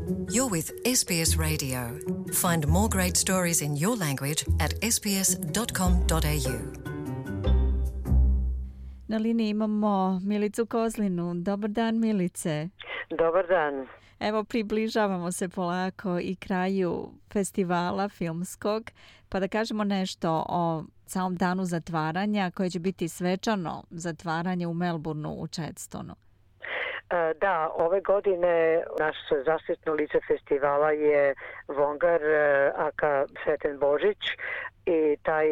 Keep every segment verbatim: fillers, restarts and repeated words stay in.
You're with S B S Radio. Find more great stories in your language at s b s dot com dot a u. Na liniji imamo Milicu Kozlinu. Dobar dan, Milice. Dobar dan. Evo, približavamo se polako i kraju festivala filmskog, pa da kažemo nešto o samom danu zatvaranja, koje će biti svečano zatvaranje u Melbourneu u Chadstonu. Da, ove godine naše zaštitno lice festivala je Vongar aka Sreten Božić i taj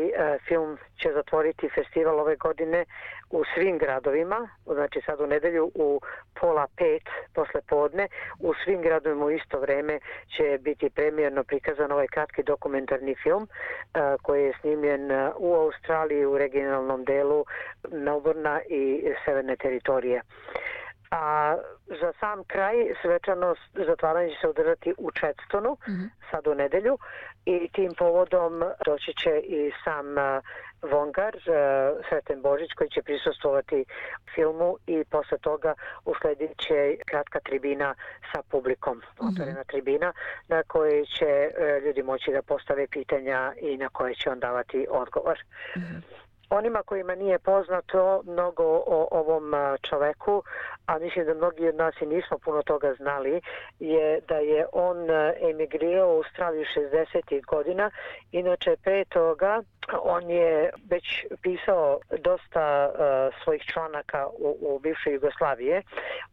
film će zatvoriti festival ove godine u svim gradovima, znači sad u nedelju u pola pet posle podne, u svim gradovima u isto vreme će biti premijerno prikazan ovaj kratki dokumentarni film koji je snimljen u Australiji, u regionalnom delu Melbournea i severne teritorije. A za sam kraj svečano zatvaranje će se održati u Chadstonu, mm-hmm. sad u nedelju, i tim povodom doći će i sam Vongar, Sreten Božić, koji će prisustvovati filmu, i posle toga usledit će kratka tribina sa publikom, mm-hmm. otvorena tribina, na kojoj će ljudi moći da postave pitanja i na koje će on davati odgovor. Mm-hmm. Onima kojima nije poznato mnogo o ovom čoveku, a mislim da mnogi od nas i nismo puno toga znali, je da je on emigrirao u Australiju šezdesetih godina. Inače, pre toga on je već pisao dosta uh, svojih članaka u, u bivšoj Jugoslavije.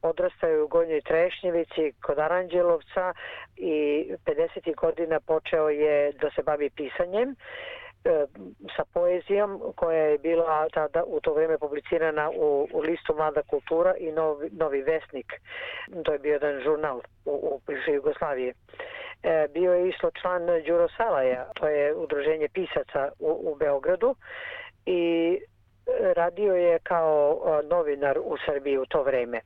Odrastao je u Gornjoj Trešnjevici kod Aranđelovca i pedesetih godina počeo je da se bavi pisanjem sa poezijom koja je bila tada u to vrijeme publicirana u, u listu Mlada kultura i Novi, Novi Vesnik. To je bio jedan žurnal u, u bivšoj Jugoslaviji. E, bio je isto član Đuro Salaja, to je udruženje pisaca u, u Beogradu, i radio je kao novinar u Srbiji u to vrijeme.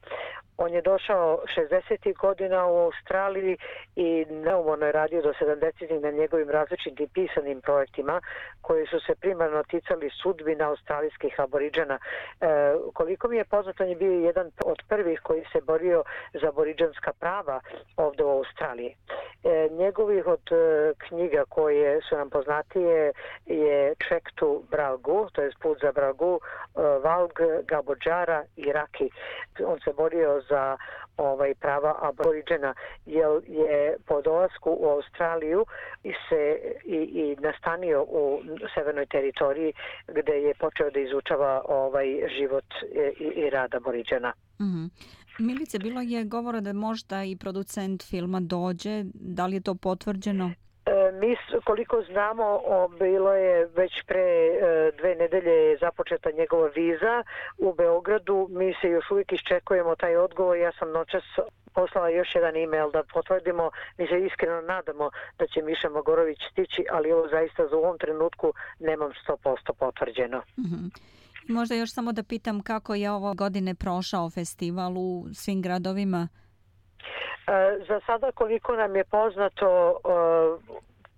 On je došao šezdesetih godina u Australiji i neumorno je radio do sedamdesetih na njegovim različitim pisanim projektima koji su se primarno ticali sudbina australijskih aboriđana. E, koliko mi je poznato, on je bio jedan od prvih koji se borio za aboriđanska prava ovdje u Australiji. E, njegovih od e, knjiga koje su nam poznatije je Trek to Bralgu, to je Put za Bralgu, e, Valg, Gabodžara i Raki. On se borio za ovaj prava aboriđena, jer je po dolasku u Australiju i se i, i nastanio u severnoj teritoriji, gde je počeo da izučava ovaj život i, i rad aboriđena. Mm-hmm. Milice, bilo je govora da možda i producent filma dođe, da li je to potvrđeno? Mi, koliko znamo, bilo je već pre dve nedelje započeta njegova viza u Beogradu. Mi se još uvijek iščekujemo taj odgovor. Ja sam noćas poslala još jedan e-mail da potvrdimo. Mi se iskreno nadamo da će Miša Mogorović stići, ali ovo zaista za u ovom trenutku nemam sto posto potvrđeno. Mm-hmm. Možda još samo da pitam kako je ovo godine prošao festival u svim gradovima? Za sada, koliko nam je poznato,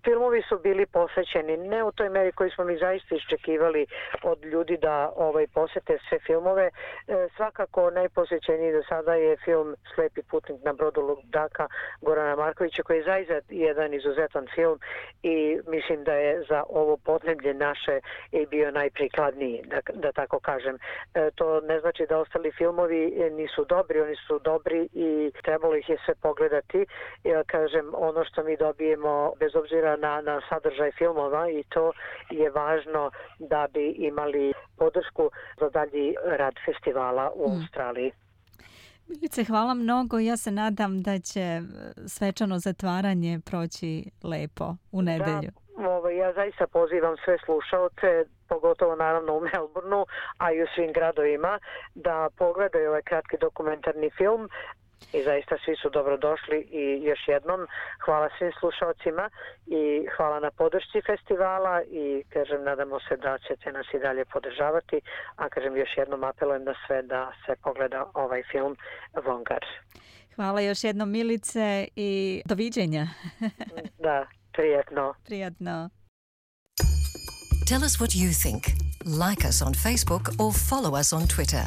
filmovi su bili posvećeni, ne u toj meri koji smo mi zaista iščekivali od ljudi da ovaj posete sve filmove. E, svakako najposvećeniji do sada je film Slepi putnik na brodu Ludaka Gorana Markovića, koji je zaista jedan izuzetan film i mislim da je za ovo podneblje naše i bio najprikladniji, da, da tako kažem. E, to ne znači da ostali filmovi nisu dobri, oni su dobri i trebalo ih je sve pogledati. Ja kažem, ono što mi dobijemo, bez obzira Na, na sadržaj filmova, i to je važno da bi imali podršku za dalji rad festivala u mm. Australiji. Milice, hvala mnogo. Ja se nadam da će svečano zatvaranje proći lepo u nedelju. Da, ovo, ja zaista pozivam sve slušaoce, pogotovo naravno u Melbourneu, a i u svim gradovima, da pogledaju ovaj kratki dokumentarni film. I zaista svi su dobrodošli i još jednom hvala svim slušalcima i hvala na podršci festivala i kažem, nadamo se da ćete nas i dalje podržavati, a kažem još jednom apelujem na sve da se pogleda ovaj film Vongar. Hvala još jednom, Milice, i doviđenja. Da, prijatno. Prijatno. Tell us what you think. Like us on Facebook or follow us on Twitter.